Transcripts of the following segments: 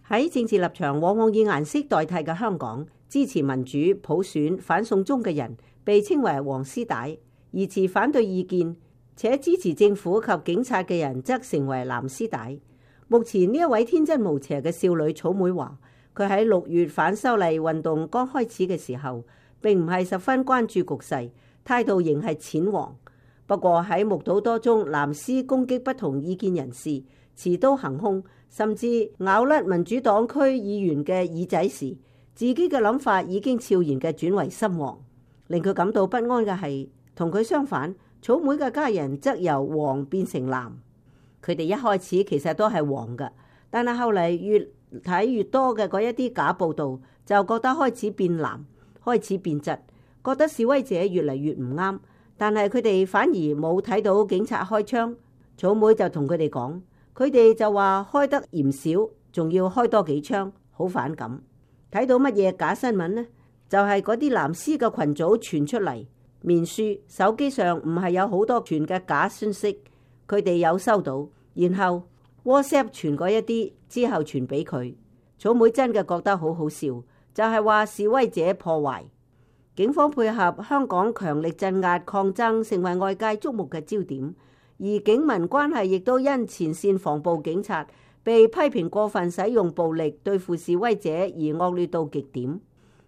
喺政治立場往往以顏色代替嘅香港，支持民主普選反送中嘅人被稱為黃絲帶，而持反對意見且支持政府及警察嘅人則成為藍絲帶。目前呢一位天真無邪嘅少女草莓話，佢喺6月反修例運動剛開始嘅時候，並唔係十分關注局勢，態度仍係淺黃。不過喺目睹多宗藍絲攻擊不同意見人士、持刀行兇，甚至咬甩民主黨區議員嘅耳仔時，自己嘅諗法已經悄然嘅轉為深黃。令佢感到不安嘅係，同佢相反，草莓嘅家人則由黃變成藍。佢哋一開始其實都係黃嘅，但係後嚟越睇越多嘅嗰一啲假報導，就覺得開始變藍，開始變質，覺得示威者越嚟越唔啱。但係佢哋反而冇睇到警察開槍。草莓就同佢哋講，佢哋就話開得嫌少，仲要開多幾槍，好反感。睇到乜嘢假新聞呢？就係嗰啲藍絲嘅群組傳出嚟，面書、手機上唔係有好多傳嘅假信息，佢哋有收到，然後 WhatsApp 傳過一啲，之後傳俾佢。草莓真嘅覺得好好笑，就係話示威者破壞。警方配合香港強力鎮壓抗爭，成為外界矚目嘅焦點，而警民關係亦都因前線防暴警察被批評過分使用暴力對付示威者而惡劣到極點。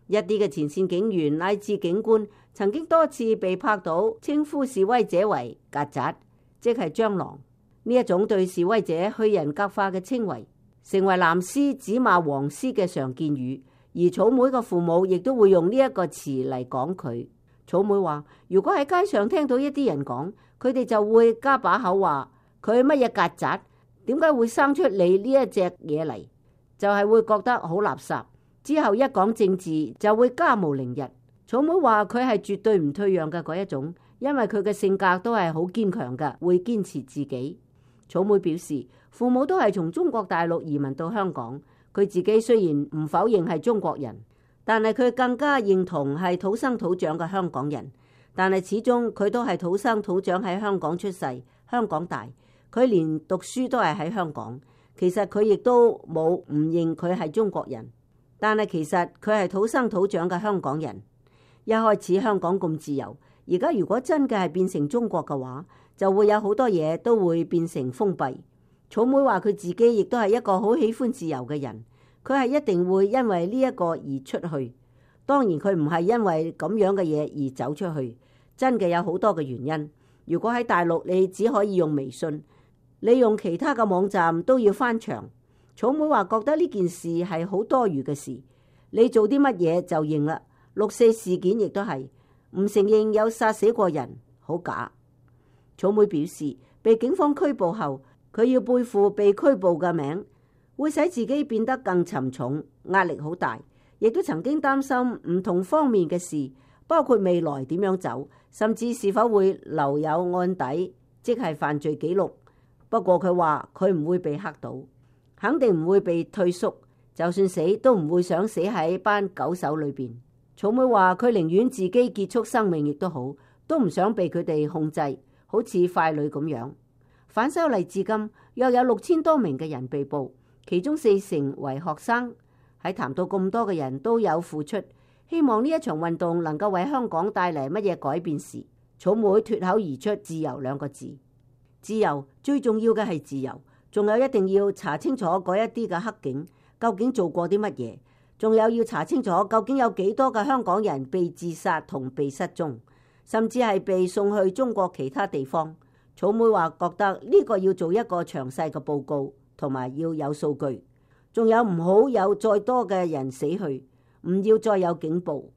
一啲嘅前線警員乃至警官曾經多次被拍到稱呼示威者為曱甴，即係蟑螂。呢一種對示威者去人格化嘅稱謂，成為藍絲指罵黃絲嘅常見語。而草莓嘅父母亦都會用呢一個詞嚟講佢。草莓話，如果喺街上聽到一啲人講，佢哋就會加把口話佢乜嘢曱甴，點解會生出你呢一隻嘢嚟？就係會覺得好垃圾。之後一講政治就會家無寧日。草莓話佢係絕對唔退讓嘅嗰一種，因為佢嘅性格都係好堅強嘅，會堅持自己。草莓表示，父母都係從中國大陸移民到香港，佢自己雖然唔否認係中國人，但係佢更加認同係土生土長嘅香港人。但係始終佢都係土生土長喺香港出世，香港大，佢連讀書都係喺香港。其實佢亦都冇唔認佢係中國人。但係其實佢係土生土長嘅香港人。一開始香港咁自由，而家如果真嘅係變成中國嘅話，就會有好多嘢都會變成封閉。草莓話佢自己亦都係一個好喜歡自由嘅人，佢係一定會因為呢一個而出去。當然佢唔係因為咁樣嘅嘢而走出去，真嘅有好多嘅原因。如果喺大陸你只可以用微信，你用其他嘅網站都要翻牆。草莓話覺得呢件事係好多餘嘅事，你做啲乜嘢就認啦。6·4事件亦都係唔承認有殺死過人，好假。草莓表示，被警方拘捕後，佢要背負被拘捕嘅名，會使自己變得更沉重，壓力好大。亦都曾經擔心唔同方面嘅事，包括未來點樣走，甚至是否會留有案底，即係犯罪記錄。不過佢話佢唔會被嚇到。肯定唔會被退縮，就算死都唔會想死喺班狗手裏邊。草莓話佢寧願自己結束生命亦都好，都唔想被佢哋控制，好似傀儡咁樣。反修例至今約有6000多名嘅人被捕，其中40%為學生。喺談到咁多嘅人都有付出，希望呢一場運動能夠為香港帶嚟乜嘢改變時，草莓脫口而出自由2個字。自由，最重要嘅係自由。仲有一定要查清楚嗰一啲嘅黑警究竟做過啲乜嘢，仲有要查清楚究竟有幾多嘅香港人被自殺同被失蹤，甚至係被送去中國其他地方。草莓話覺得呢個要做一個詳細嘅報告，同埋要有數據，仲有唔好有再多嘅人死去，唔要再有警暴。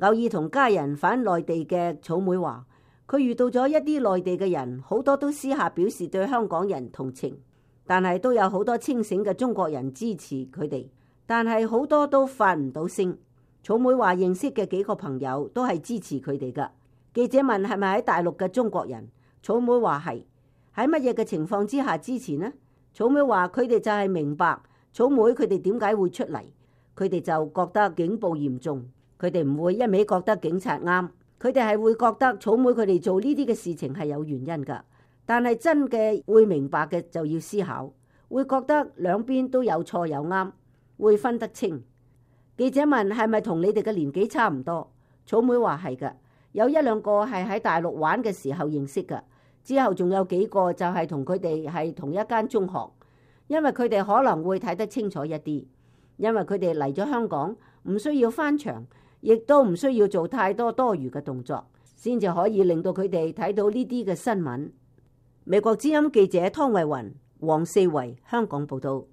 偶爾同家人返內地嘅草莓話，佢遇到咗一啲內地嘅人，好多都私下表示對香港人同情。但係都有好多清醒嘅中國人支持佢哋，但係好多都發唔到聲。草莓話認識嘅幾個朋友都係支持佢哋㗎。記者問係咪喺大陸嘅中國人，草莓話係。喺乜嘢嘅情況之下支持呢？草莓話佢哋就係明白草莓佢哋點解會出嚟，佢哋就覺得警暴嚴重，佢哋唔會一味覺得警察啱，佢哋係會覺得草莓佢哋做呢啲嘅事情係有原因㗎。但係真嘅會明白嘅就要思考，會覺得兩邊都有錯有啱，會分得清。記者問係咪同你哋嘅年紀差唔多？草莓話係㗎，有一兩個係喺大陸玩嘅時候認識㗎，之後仲有幾個就係同佢哋係同一間中學，因為佢哋可能會睇得清楚一啲，因為佢哋嚟咗香港唔需要翻牆，亦都唔需要做太多多餘嘅動作，先至可以令到佢哋睇到呢啲嘅新聞。美國之音記者湯慧雲、黃四維香港報道。